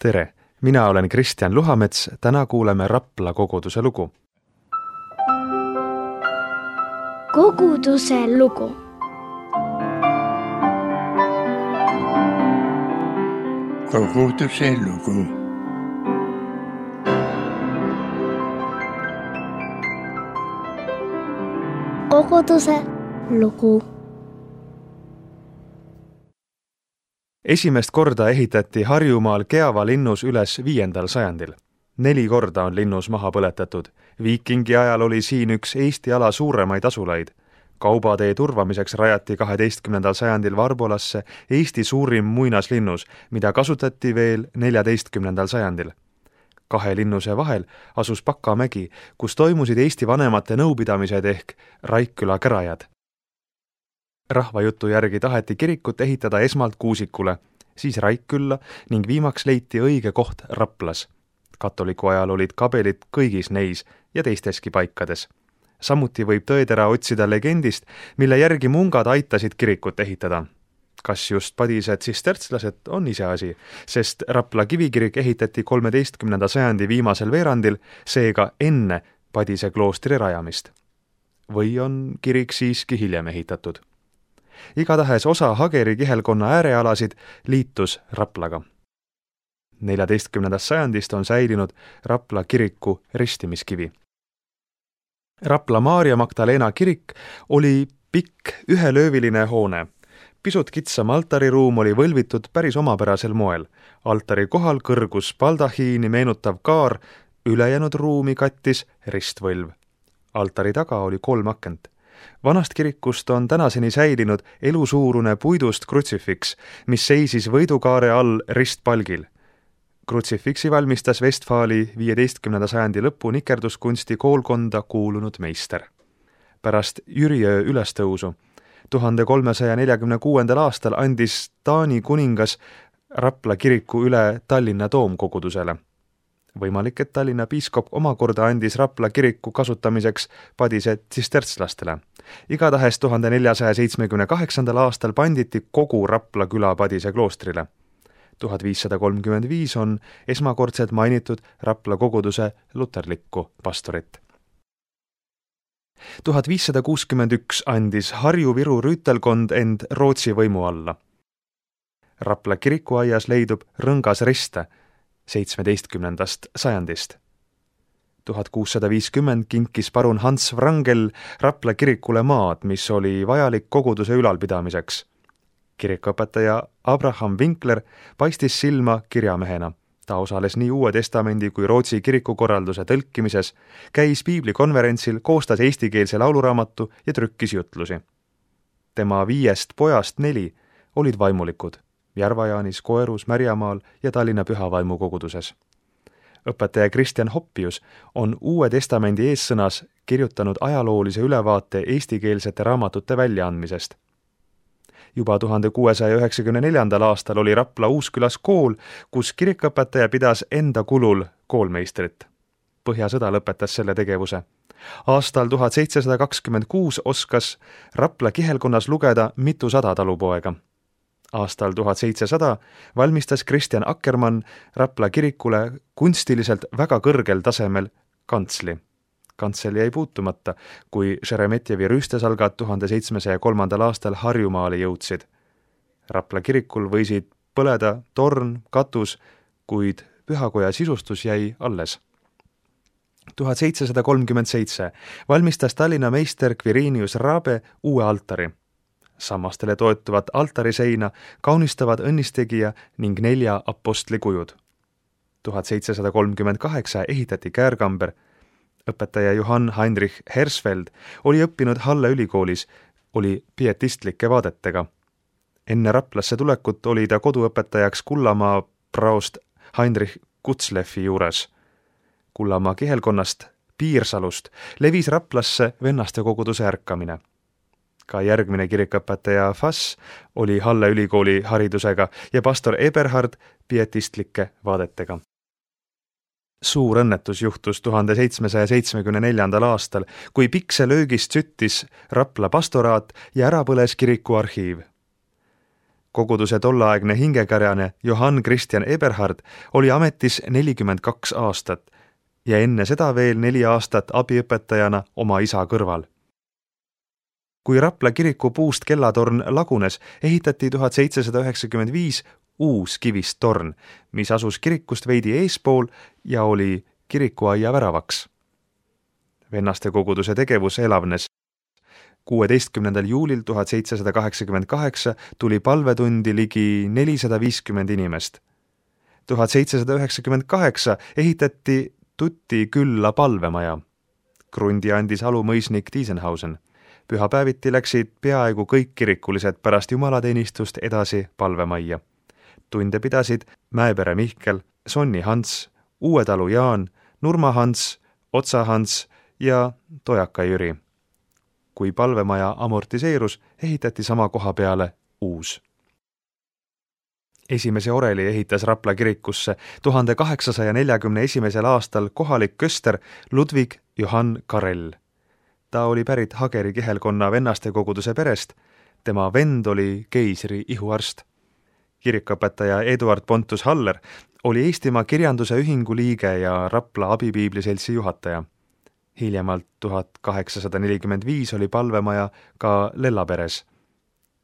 Tere, mina olen Kristjan Luhamets, täna kuuleme Rapla koguduse lugu. Koguduse lugu. Koguduse lugu. Koguduse lugu. Esimest korda ehitati Harjumaal Keava linnus üles 5. sajandil. 4 korda on linnus maha põletatud. Viikingi ajal oli siin üks Eesti ala suuremaid asulaid. Kaubatee turvamiseks rajati 12. sajandil Varbolasse Eesti suurim muinaslinnus, mida kasutati veel 14. sajandil. 2 linnuse vahel asus Pakamägi, kus toimusid Eesti vanemate nõupidamised ehk Raikküla kärajad. Rahvajutu järgi taheti kirikut ehitada esmalt Kuusikule, siis Raikkülla ning viimaks leiti õige koht Raplas. Katoliku ajal olid kabelid kõigis neis ja teisteski paikades. Samuti võib tõetera otsida legendist, mille järgi mungad aitasid kirikut ehitada. Kas just padised sistertslased on iseasi, sest Rapla kivikirik ehitati 13. sajandi viimasel veerandil, seega enne Padise kloostri rajamist. Või on kirik siiski hiljem ehitatud? Igatahes osa Hageri kihelkonna äärealasid liitus Raplaga. 14. sajandist on säilinud Rapla kiriku ristimiskivi. Rapla Maarja Magdalena kirik oli pikk ühelööviline hoone. Pisut kitsam altariruum oli võlvitud päris omapärasel moel. Altari kohal kõrgus baldahiini meenutav kaar, ülejäänud ruumi kattis ristvõlv. Altari taga oli 3 akent. Vanast kirikust on tänaseni säilinud elusuurune puidust krutsifiks, mis seisis võidukaare all ristpalgil. Krutsifiksi valmistas Vestfaali 15. sajandi lõpu nikerduskunsti koolkonda kuulunud meister. Pärast Jüriöö ülestõusu 1346. aastal andis Taani kuningas Rapla kiriku üle Tallinna toomkogudusele. Võimalik, et Tallinna piiskop omakorda andis Rapla kiriku kasutamiseks padise tsistertslastele. Igatahes 1478. aastal panditi kogu Rapla küla Padise kloostrile. 1535 on esmakordselt mainitud Rapla koguduse luterlikku pastorit. 1561 andis Harju-Viru rüütelkond end Rootsi võimu alla. Rapla kirikuaias leidub rõngas riste 17. sajandist. 1650 kinkis parun Hans Wrangel Rapla kirikule maad, mis oli vajalik koguduse ülalpidamiseks. Kirikuõpetaja Abraham Winkler paistis silma kirjamehena. Ta osales nii Uue Testamendi kui Rootsi kirikukorralduse tõlkimises, käis piiblikonverentsil, koostas eestikeelse lauluraamatu ja trükkis jutlusi. Tema 5 pojast 4 olid vaimulikud Järva-Jaanis, Koerus, Märjamaal ja Tallinna Pühavaimu koguduses. Õpetaja Kristjan Hoppius on Uue Testamendi eessõnas kirjutanud ajaloolise ülevaate eestikeelsete raamatute väljaandmisest. Juba 1694. aastal oli Rapla Uuskülas kool, kus kirikuõpetaja pidas enda kulul koolmeistrit. Põhjasõda lõpetas selle tegevuse. Aastal 1726 oskas Rapla kihelkonnas lugeda mitusada talupoega. Aastal 1700 valmistas Kristjan Akkermann Rapla kirikule kunstiliselt väga kõrgel tasemel kantsli. Kantsel jäi puutumata, kui Šeremetjevi rüüstesalgad 1703. aastal Harjumaale jõudsid. Rapla kirikul võisid põleda torn, katus, kuid pühakoja sisustus jäi alles. 1737 valmistas Tallinna meister Quirinius Rabe uue altari. Sammastele toetuvat altariseina kaunistavad õnnistegija ning 4 apostli kujud. 1738 ehitati käärkamber. Õpetaja Johann Heinrich Hersfeld oli õppinud Halle ülikoolis, oli pietistlike vaadetega. Enne Raplasse tulekut oli ta koduõpetajaks Kullamaa praost Heinrich Kutzleffi juures. Kullamaa kihelkonnast Piirsalust levis Raplasse vennaste koguduse ärkamine. Ka järgmine kirikuõpetaja Fass oli Halle ülikooli haridusega ja pastor Eberhard pietistlike vaadetega. Suur õnnetus juhtus 1774. aastal, kui pikselöögist süttis Rapla pastoraat ja ära põles kiriku arhiiv. Koguduse tolleaegne hingekarjane Johann Christian Eberhard oli ametis 42 aastat ja enne seda veel 4 aastat abiõpetajana oma isa kõrval. Kui Rapla kiriku puust kellatorn lagunes, ehitati 1795 uus kivist torn, mis asus kirikust veidi eespool ja oli kirikuaia väravaks. Vennaste koguduse tegevus elavnes. 16. juulil 1788 tuli palvetundi ligi 450 inimest. 1798 ehitati Tuti külla palvemaja. Krundi andis alumõisnik Diesenhausen. Pühapäeviti läksid peaaegu kõik kirikulised pärast jumalateenistust edasi palvemajja. Tunde pidasid Mäepere Mihkel, Sonni Hans, Uue-Talu Jaan, Nurma Hans, Otsa Hans ja Tojaka Jüri. Kui palvemaja amortiseerus, ehitati sama koha peale uus. Esimese oreli ehitas Rapla kirikusse 1841. aastal kohalik köster Ludwig Johann Karel. Ta oli pärit Hageri kihelkonna vennaste koguduse perest, tema vend oli keisri ihuarst. Kirikuõpetaja Eduard Pontus Haller oli Eestimaa kirjanduse ühingu liige ja Rapla abipiibliseltsi juhataja. Hiljemalt 1845 oli palvemaja ka Lellaperes.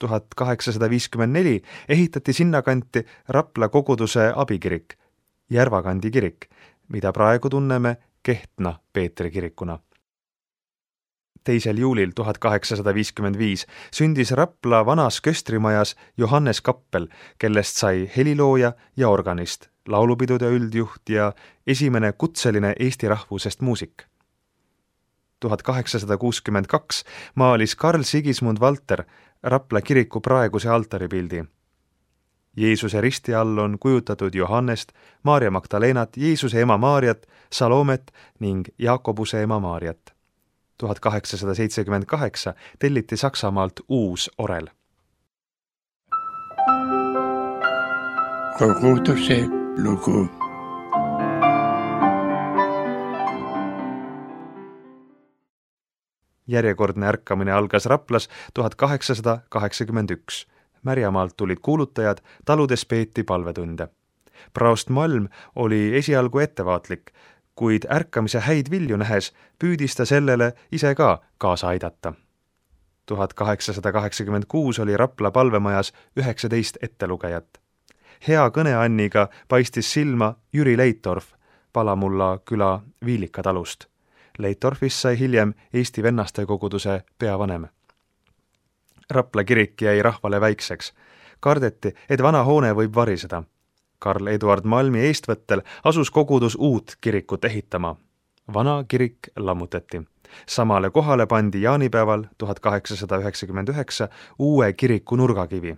1854 ehitati sinnakanti Rapla koguduse abikirik, Järvakandi kirik, mida praegu tunneme Kehtna Peetri kirikuna. 2. juulil 1855 sündis Rapla vanas köstrimajas Johannes Kappel, kellest sai helilooja ja organist, laulupidude üldjuht ja esimene kutseline eesti rahvusest muusik. 1862 maalis Karl Sigismund Valter Rapla kiriku praeguse altaripildi. Jeesuse risti all on kujutatud Johannest, Maarja Magdalenat, Jeesuse ema Maarjat, Salomet ning Jaakobuse ema Maarjat. 1878 telliti Saksamaalt uus orel. Koguduse lugu. Järjekordne ärkamine algas Raplas 1881. Märjamaalt tulid kuulutajad, taludes peeti palvetunde. Praost Malm oli esialgu ettevaatlik, kuid ärkamise häid vilju nähes püüdis ta sellele ise ka kaasa aidata. 1886 oli Rapla palvemajas 19 ettelugejat. Hea kõneanniga paistis silma Jüri Leitorf, Palamulla küla Viilika talust. Leitorfist sai hiljem Eesti vennaste koguduse peavanem. Rapla kirik jäi rahvale väikseks. Kardeti, et vana hoone võib variseda. Karl Eduard Malmi eestvõttel asus kogudus uut kirikut ehitama. Vana kirik lammutati. Samale kohale pandi jaanipäeval 1899 uue kiriku nurgakivi.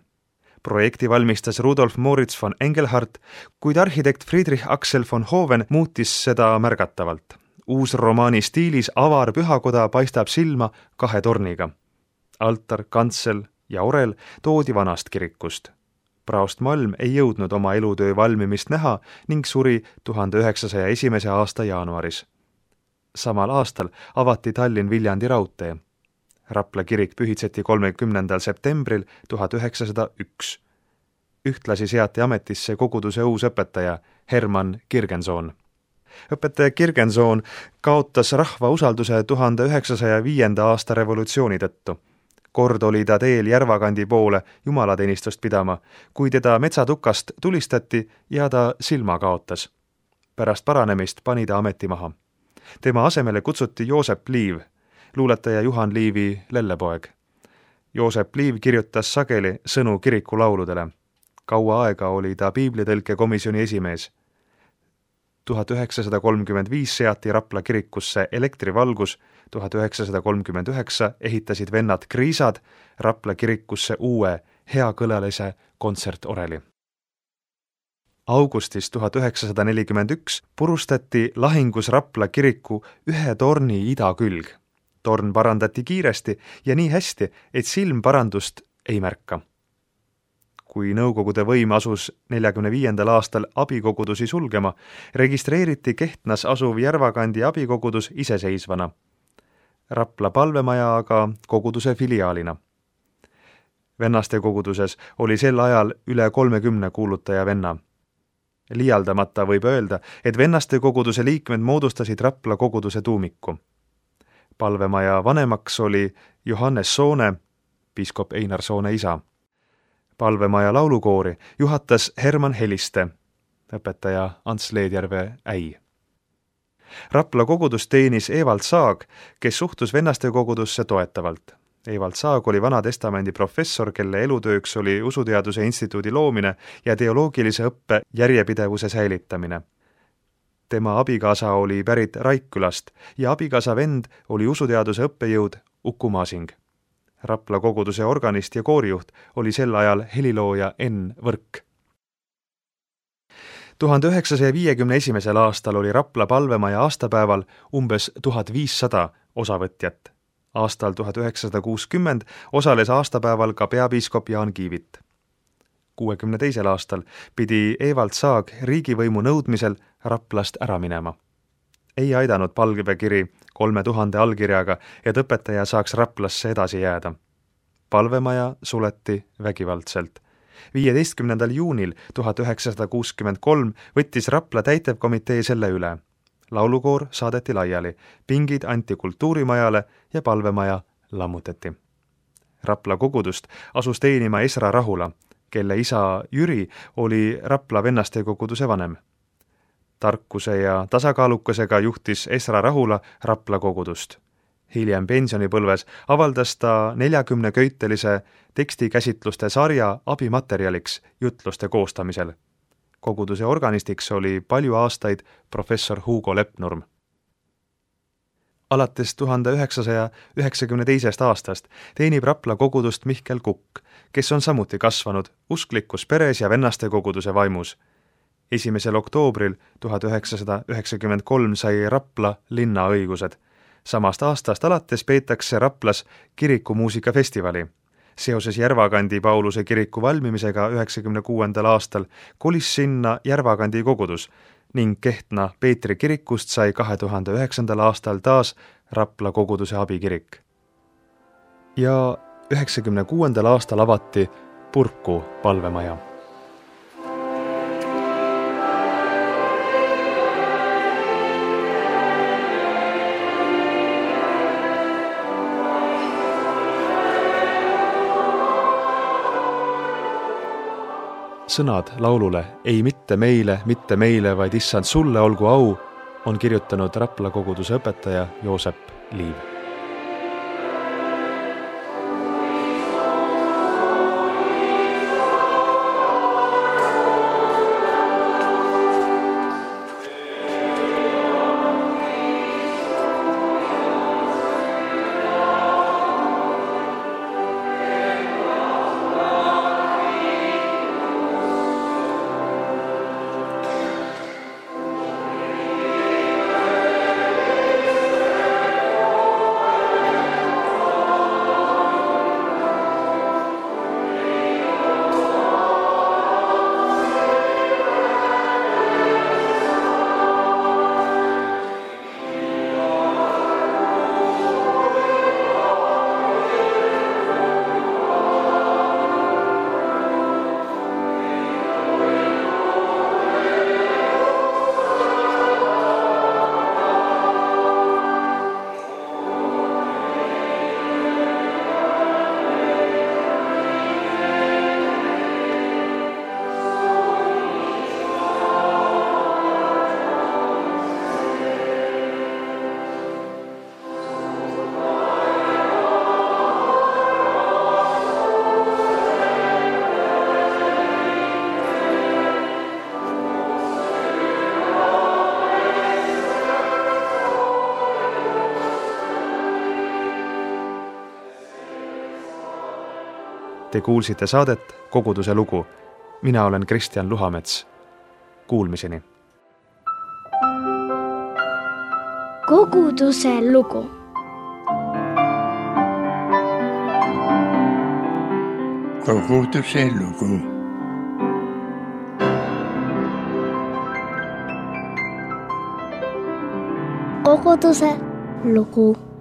Projekti valmistas Rudolf Moritz von Engelhardt, kuid arhitekt Friedrich Axel von Hoven muutis seda märgatavalt. Uus romaani stiilis avar pühakoda paistab silma 2 torniga. Altar, kantsel ja orel toodi vanast kirikust. Praost Malm ei jõudnud oma elutöö valmimist näha ning suri 1901. aasta jaanuaris. Samal aastal avati Tallinn-Viljandi raudtee. Rapla kirik pühitseti 30. septembril 1901. Ühtlasi seati ametisse koguduse uus õpetaja Hermann Kirgensohn. Õpetaja Kirgensohn kaotas rahva usalduse 1905. aasta revolutsiooni tõttu. Kord oli ta teel Järvakandi poole jumalateenistust pidama, kui teda metsatukast tulistati ja ta silma kaotas. Pärast paranemist pani ta ameti maha. Tema asemele kutsuti Joosep Liiv, luuletaja Juhan Liivi lellepoeg. Joosep Liiv kirjutas sageli sõnu kiriku lauludele. Kaua aega oli ta piiblitõlke komisjoni esimees. 1935 seati Rapla kirikusse elektrivalgus, 1939 ehitasid vennad Kriisad Rapla kirikusse uue heakõlalise kontsertoreli. Augustis 1941 purustati lahingus Rapla kiriku 1 torni idakülg. Torn parandati kiiresti ja nii hästi, et silm parandust ei märka. Kui Nõukogude võim asus 1945. aastal abikogudusi sulgema, registreeriti Kehtnas asuv Järvakandi abikogudus iseseisvana. Rapla palvemaja aga koguduse filiaalina. Vennaste koguduses oli sel ajal üle 30 kuulutaja venna. Liialdamata võib öelda, et vennaste koguduse liikmed moodustasid Rapla koguduse tuumiku. Palvemaja vanemaks oli Johannes Soone, piiskop Einar Soone isa. Palvemaja laulukoori juhatas Herman Heliste, õpetaja Ants Leedjärve äi. Rapla kogudus teenis Evald Saag, kes suhtus vennaste kogudusse toetavalt. Evald Saag oli Vana Testamendi professor, kelle elutööks oli usuteaduse instituudi loomine ja teoloogilise õppe järjepidevuse säilitamine. Tema abikaasa oli pärit Raikkülast ja abikaasa vend oli usuteaduse õppejõud Uku Masing. Rapla koguduse organist ja koorijuht oli sel ajal helilooja Enn Võrk. 1951. aastal oli Rapla palvemaja aastapäeval umbes 1500 osavõtjat. Aastal 1960 osales aastapäeval ka peapiiskop Jaan Kiivit. 62. aastal pidi Evald Saag riigivõimu nõudmisel Raplast ära minema. Ei aidanud palvekiri 3000 allkirjaga, et õpetaja saaks Raplasse edasi jääda. Palvemaja suleti vägivaldselt. 15. juunil 1963 võttis Rapla täitevkomitee selle üle. Laulukoor saadeti laiali, pingid anti kultuurimajale ja palvemaja lammutati. Rapla kogudust asus teenima Esra Rahula, kelle isa Jüri oli Rapla vennaste koguduse vanem. Tarkuse ja tasakaalukasega juhtis Esra Rahula Rapla kogudust. Hiljem pensionipõlves avaldas ta 40-köitelise tekstikäsitluste sarja abimaterjaliks jutluste koostamisel. Koguduse organistiks oli palju aastaid professor Hugo Lepnurm. Alates 1992. aastast teenib Rapla kogudust Mihkel Kukk, kes on samuti kasvanud usklikus peres ja vennaste koguduse vaimus. 1. oktoobril 1993 sai Rapla linna õigused. Samast aastast alates peetakse Raplas kirikumuusikafestivali. Seoses Järvakandi Pauluse kiriku valmimisega 1996. aastal kolis sinna Järvakandi kogudus ning Kehtna Peetri kirikust sai 2009. aastal taas Rapla koguduse abikirik. Ja 1996. aastal avati Purku palvemaja. Sõnad laulule "Ei mitte meile, vaid issand sulle olgu au" on kirjutanud Rapla koguduse õpetaja Joosep Liiv. Te kuulsite saadet Koguduse lugu. Mina olen Kristjan Luhamets. Kuulmiseni. Koguduse lugu. Koguduse lugu. Koguduse lugu.